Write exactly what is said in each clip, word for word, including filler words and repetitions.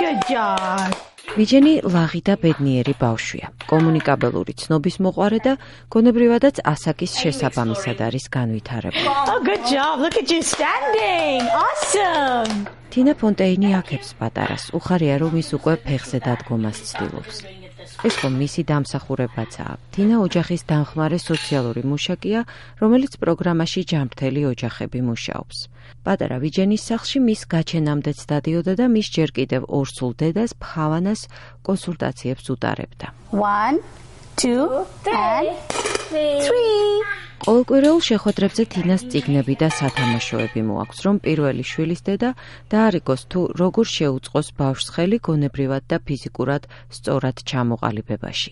Good job. ვიჯენი ლაღი და ბედნიერი ბავშვია. კომუნიკაბელური ცნობის მოყვარე და გონებრივადაც ასაკის შესაბამისად არის განვითარებული. Oh, good job. Look at you standing. Awesome. თინა ფონტეინი აქებს პატარას. უხარია, რომ ის უკვე ფეხზე დადგომას ცდილობს. ეს რომ მისი დამსახურებაცაა. თინა ოჯახის დამხმარე სოციალური მუშაკია, რომელიც პროგრამაში ჯანმრთელი ოჯახები მუშაობს. პატარა ვიჯენის სახლში მის გაჩენამდეც დადიოდა და მის ჯერ კიდევ ორსულ დედას ფხავანას კონსულტაციებს უტარებდა. One, two, and three. ყოველკვირეულ შეხვედრებზე თინას წიგნები და სათამაშოები მოაქვს, რომ პირველი შვილის დედა დაარიგოს თუ როგორ შეუწყოს ბავშვს ხელი გონებრივად და ფიზიკურად სწორად ჩამოყალიბებაში.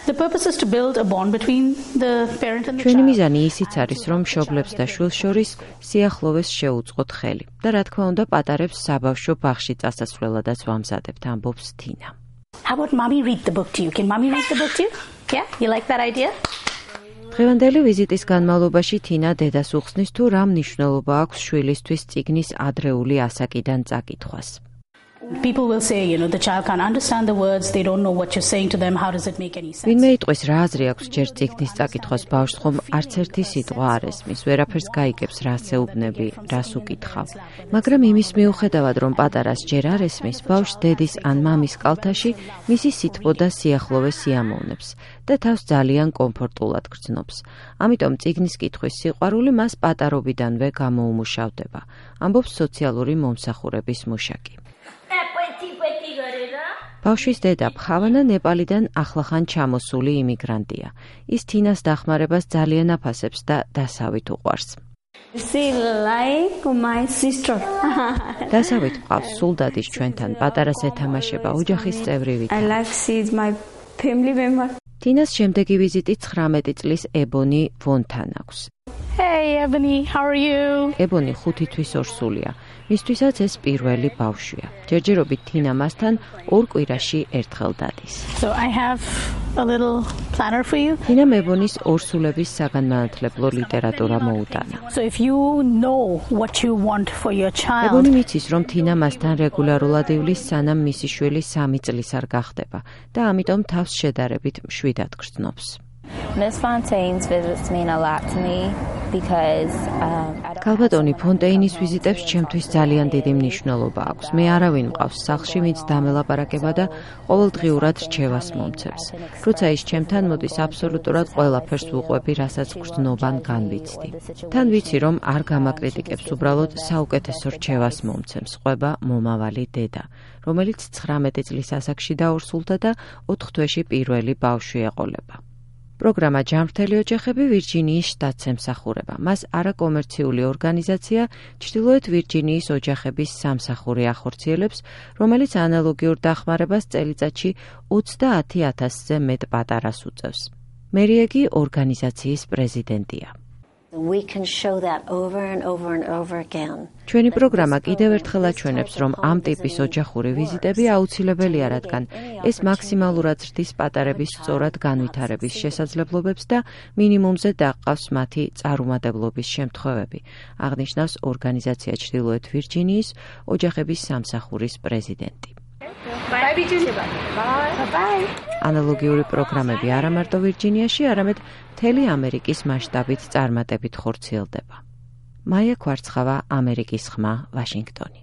The purpose is to build a bond between the parent and the ჩვენი child. მიზანი ისიც არის, რომ მშობლებს და შვილს შორის სიახლოვეს შეუწყოთ ხელი და რა თქმა უნდა პატარებს საბავშვო ბაღში წასასვლელადაც ვამზადებთ, ამბობს თინა. How about mommy read the book to you? Can mommy read the book to you? Yeah, you like that idea? დღევანდელი ვიზიტის განმავლობაში თინა დედას უხსნის თუ რა მნიშვნელობა აქვს შვილისთვის წიგნის ადრეული ასაკიდან წაკითხვას. People will say, you know, the child can't understand the words, they don't know what you're saying to them, how does it make any sense? ვინმე იტყვის რა აზრი აქვს ჯერ წიგნის წაკითხვას ბავშვს, ხომ არც ერთი სიტყვა არ ესმის, ვერაფერს გაიგებს, რას ეუბნები, რას უკითხავ. მაგრამ იმის მიუხედავად, რომ პატარას ჯერ არ ესმის, ბავშვს დედის ან მამის კალთაში მისი სითბო და სიახლოვე სიამოვნებს და თავს ძალიან კომფორტულად გრძნობს. ამიტომ წიგნის კითხვის სიყვარული მას პატარობიდანვე გამოუმუშავდება, ამბობს სოციალური მომსახურების მუშაკი. ბავშვის დედა ფხავანა ნეპალიდან ახლახან ჩამოსული იმიგრანტია. ის თინას დახმარებას ძალიან აფასებს და დასავით უყვარს. She like my sister. დასავით ყავს სულდადის ჩვენთან პატარას ეთამაშება ოჯახის წევრივით. I like she's my family member. თინას შემდეგი ვიზიტი ცხრამეტი წლის ებონი ვონთან აქვს. Hey, Ebony, how are you? ებონი ხუთი თვის ორსულია. მისთვისაც ეს პირველი ბავშვია. ჯერჯერობით თინა მასთან ორ კვირაში ერთხელ დადის. So I have a little planner for you. თინამ ებონის ორსულების საგანმანათლებლო ლიტერატურა მოუტანა. So if you know what you want for your child, ებონი მიცის, რომ თინა მასთან რეგულარულად ივლის, სანამ მისი შვილი სამი წლის არ გახდება და ამიტომ თავს შედარებით მშვიდად გრძნობს. Miss Fontaine's visits mean a lot to me because um I don't კალბატონი ფონტეინის ვიზიტებს ჩემთვის ძალიან დიდი მნიშვნელობა აქვს. მე არავინ მყავს სახლში, ვინც დამელაპარაკება და ყოველდღიურად რჩევას მომცემს. როცა ის ჩემთან მოდის, აბსოლუტურად ყველაფერს ვუყვები, რასაც გრძნობან განვიცდი. თან ვიცი, რომ არ გამაკრიტიკებს, უბრალოდ საუკეთესო რჩევას მომცემს. ყვება მომავალი დედა, რომელიც ცხრამეტი წლის ასაკში დაორსულდა და ოთხ თვეში პირველი ბავშვი ეყოლება. პროგრამა ჯანმრთელი ოჯახები ვირჯინიის შტატს ემსახურება. მას არაკომერციული ორგანიზაცია ჩრდილოეთ ვირჯინიის ოჯახების სამსახური ახორციელებს, რომელიც ანალოგიურ დახმარებას წელიწადში ოცდაათი ათასზე მეტ პატარას უწევს. მერიეგი ორგანიზაციის პრეზიდენტია. We can show that over and over and over again. ჩვენი პროგრამა კიდევ ერთხელ აჩვენებს, რომ ამ ტიპის ოჯახური ვიზიტები აუცილებელია, რადგან ეს მაქსიმალურად ზრდის პატარების სწორად განვითარების შესაძლებლობებს და მინიმუმზე დაყავს მათი წარუმატებლობის შემთხვევები, აღნიშნავს ორგანიზაცია ჩრდილოეთ ვირჯინიის ოჯახების სამსახურის პრეზიდენტი. Bye, Bye. Bye. ანალოგიური პროგრამები არა მარტო ვირჯინიაში, არამედ მთელი ამერიკის მასშტაბით წარმატებით ხორციელდება. მაია კვარცხავა, ამერიკის ხმა, ვაშინგტონი.